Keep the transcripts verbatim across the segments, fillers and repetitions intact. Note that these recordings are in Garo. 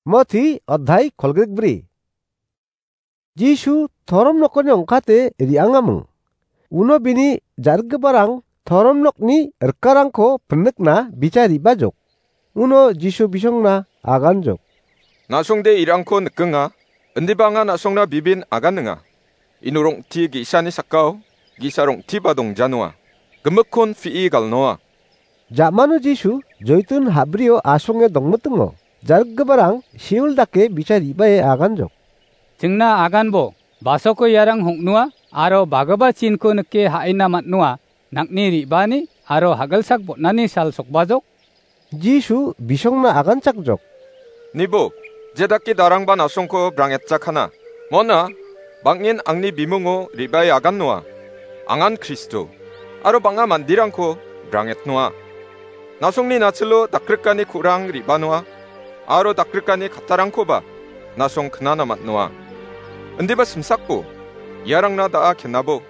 Moti adhai kolgrikbri. Jisu torom nokoni ongkate re·angaming. Uno bini ja·rikgiparang torom nokni rikarangko pinikna bichari bajok. Uno Jisu bisongna aganjok. Na·songde irangko nikenga, indiba anga na·songna bibin aganinga. Ino rong·ti ge·sani sakao ge·sa rong·tiba dongjanoa. Gimikkon pi·e galnoa. Ja·mano Jisu joitun habrio asonge dongmitingo. Ja·rikgiparang seol dake bichari bae aganjok. Chingna aganbo, basoko iarang hong·noa, aro bagipa chinko nike ha·ina man·noa, nang·ni re·baani, aro hagilsak botnani sal sokbajok. Jisu bisongna aganchakjok. Nibo, jedake darangba na·songko brangetjakana. Mona, bang·en angni bimungo re·bae agannoa. Angan Kristo, aro bang·a manderangko brangetnoa. Na·songni nachilo dakrikani ku·rang re·banoa, aro dakrikani kattarangkoba na·song knana man·noa. Indiba simsakbo, iarangna da·a kenabo.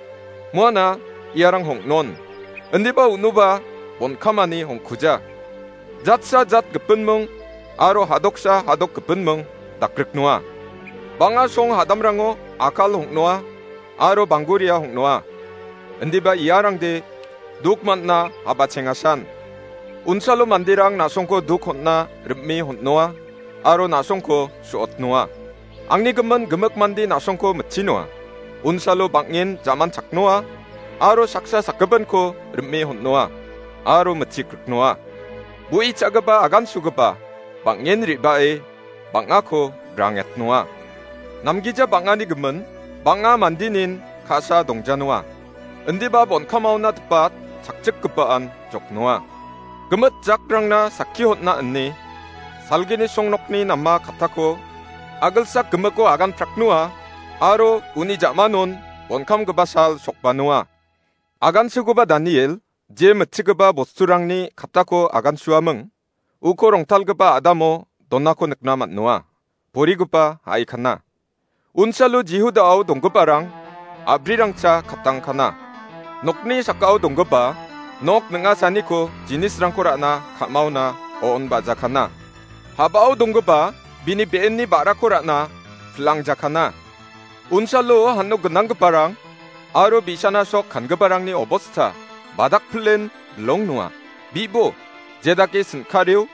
Moana iarang hong·non. Indiba unoba bonkamani hongkuja. Jatsa jat gipinming aro hadoksa hadok gipinming dakriknoa. Bang·a song hadamrango akal hong·noa aro bangguria hong·noa. Indiba iarangde duk man·na habachengasan. Unsalo manderang na·songko duk hon·na rim·e hon·noa aro na·songko su·otnoa. Angni gimin gimik mande na·songko mitchinoa. Unsalo bang·en jaman chaknoa aro saksa sakgipinko rim·e hon·noa aro mitchikriknoa. Bu·i cha·gipa agansugipa bang·en re·bae bang·ako brangetnoa. Namgija bang·ani gimin bang·a mandenin ka·sa dongjanoa. Indiba bonkamaona dipat chakchikgipaan joknoa. Gimit jakrangna sakki hon·na ine salgini songnokni nama kattako agilsak gimiko agan praknoa aro uni ja·manon bonkamgipa sal sokbanoa. Agansugipa Daniel je mitchigipa bosturangni kattako agansuaming, uko rongtalgipa a·damo donako nikna man·noa. Borigipa a·ikana. Unsalo Jihudao donggiparang a·brirangcha katangkana. Nokni sakao donggipa nok ning·asaniko jinisrangko ra·na ka·maona o·on ba·jakana. Habao donggipa bini be·enni ba·rako ra·na pilangjakana. Unsalo hano gnanggiparang aro bi·sana sok kangiparangni obosta badakpilen bilong noa. Bibo, jedake sin·kario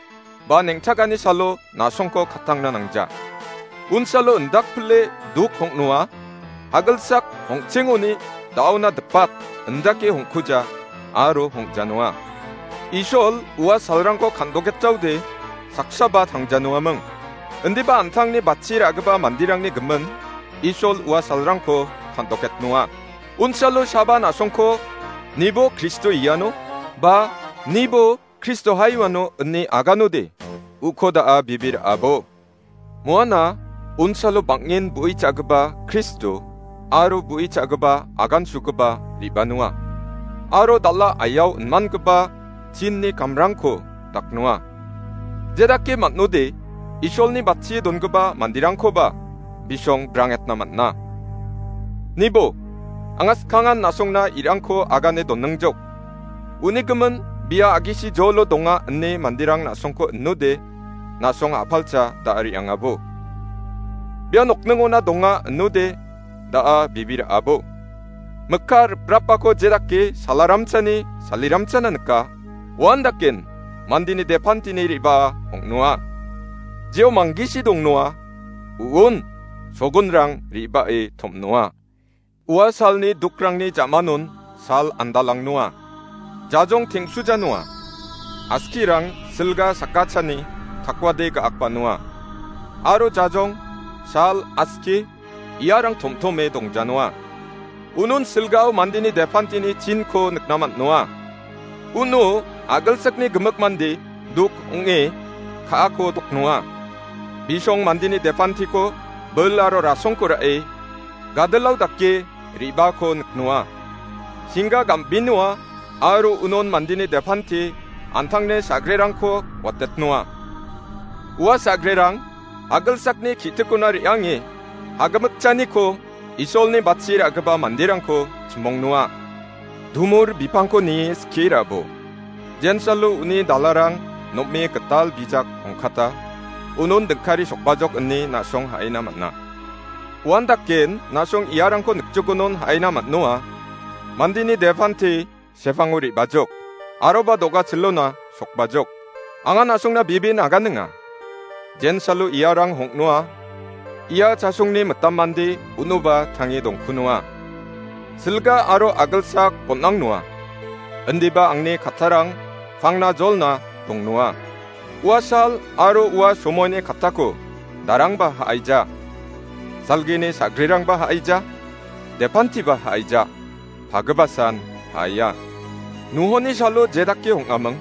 ba neng·takani salo na·songko katangna nangja. Unsalo indakpile duk hong·noa, hagilsak hongchengoni da·ona dipat indake hongkuja aro hong·janoa. Isol ua salrangko kan·doketjaode saksaba tangjanoaming. Indiba an·tangni batchi ra·gipa manderangni gimin Isol ua salrangko kan·doketnoa. Unsalo saba na·songko, "Nibo Kristo iano," ba "Nibo Kristo haiuano," ine aganode, uko da·a bibir abo. Moana unsalo bang·en bu·i cha·gipa Kristo aro bu·i cha·gipa agansugipa re·banoa. Aro dal·a aiao inmangipa chinni kamrangko daknoa. Jedake man·ode Isolni batchie dongipa manderangkoba bisong brangetna man·a. Nibo, anga skangan na·songna irangko agane donningjok. Uni gimin bia agisi jolo donga ine manderang na·songko inode, na·song a·palcha da·a re·angabo. Bia nokningona donga inode, da·a bibir abo. Mikka riprapako jedake salaramchani saliramchana nika, uandaken mandeni depantini re·baa ong·noa. Jeo manggisi dongnoa, u·on sogonrang re·bae tom·noa. Ua salni dukrangni ja·manon sal andalangnoa. Jajong teng·sujanoa. Askirang silga sakachani takwade ga·akbanoa. Aro jajong, sal, aski, iarang tomtome dongjanoa. Unon silgao mandeni depantini chinko nikna man·noa. Uno agilsakni gimik mande duk ong·e ka·ako doknoa. Bisong mandeni depantiko bil aro rasongko ra·e gadilao dake re·bako niknoa. Singga gam·binoa aro unon mandeni depanti an·tangne sa·grerangko watetnoa. Ua sa·grerang agilsakni ki·tikona re·ange agimikchaniko Isolni batchi ra·gipa manderangko chimongnoa. Dumur bipangko nie skie ra·bo. Jensalo uni dalarang nom·e gital bijak ongkata. unon dingkari sokbajok ine na·song ha·ina man·a. Uandaken na·song iarangko nikjokonon ha·ina man·noa. Mandeni depanti sepango re·bajok, aroba do·gachilona sokbajok. Anga na·songna bibin aganinga. Jensalo iarang hong·noa. Ia chasongni mitam mande unoba tange dongkunoa. Silga aro agilsak bon·angnoa. Indiba angni kattarang pangna jolna dongnoa. Ua sal aro ua somoini kattako darangba ha·aija. Salgini sagrirangba ha·aija. Depantiba ha·aija. Pagibasan ha·aia. Nuhoni salo jedake hong·aming.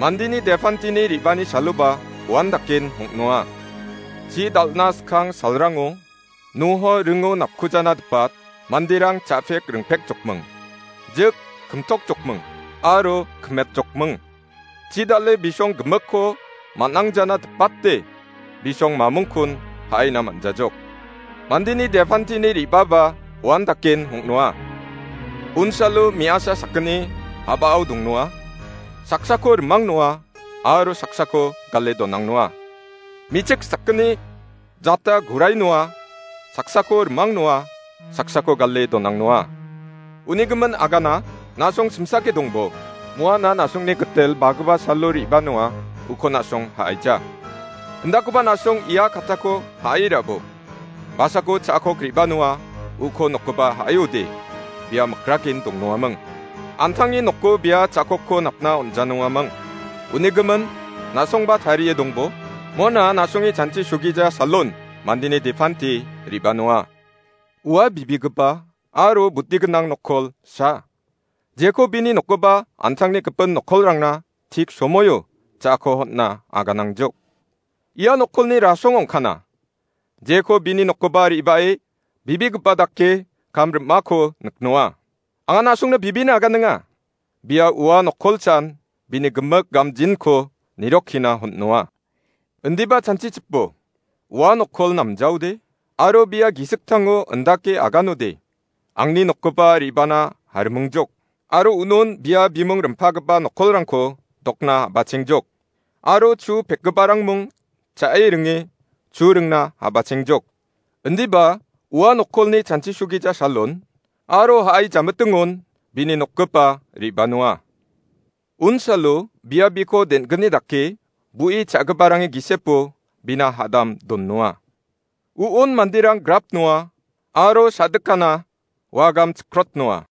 Mandeni depantini re·bani saloba uandaken hong·noa. Chi dal·na skang salrango Nuho ringo napkujana dipat manderang cha·pek ringpek jokming. Jik kimtok jokming aro kimet jokming. Chi dal·e bisong gimikko man·angjana dipate bisong mamungkon ha·aina man·jajok. Mandeni depantini re·baba uandaken hong·noa. Unsalo me·asa sakgni a·bao dongnoa. Saksako rimangnoa aro saksako gale donangnoa. Me·chik sakgni jata gurai noa, saksako rimang noa, saksako gale donang noa. Uni gimin agana na·song simsake dongbo, moana na·songni gitel bagipa salo re·ba noa, uko na·song ha·aija. Indakoba na·song ia kattako ha·ai ra·bo. Basako cha·akok re·ba noa, uko nokgipa ha·aiode, bia mikrakin dongnoaming. An·tangni noko bia cha·akokko napna on·janoaming. Uni gimin, na·songba tarie dongbo, mona na·songni chanchi sugija salon mandeni depanti re·ba noa. Ua bibigipa aro buti gnang nokkol sa. Jeko bini nokgipa an·tangni gipin nokkolrangna tik somoio cha·ako hon·na aganangjok. Ia nokkolni rasong ong·kana. Jeko bini nokgipa re·bae bibigipa dake kam rim·ako niknoa. Anga na·songna bibina aganenga. Bia ua nokkolchan bini gimik gamjinko nirokkina hon·noa. Indiba chanchichipo, ua nokkol namjaode, aro bia gisiktango indake aganode, angni nokgipa re·bana harimingjok, aro unon bia bimung rimpagipa nokkolrangko dokna a·bachengjok, aro chu pekgiparang mung cha·e ringe chu ringna a·bachengjok. Indiba ua nokkolni chanchi sugija salon, aro ha·ai jamitingon bini nokgipa re·banoa. Unsalo bia biko den·gni dake bu·i cha·giparangni gisepo bina hadam donnoa. U·on manderang grap noa, aro sa·dikana wagam chikrot noa.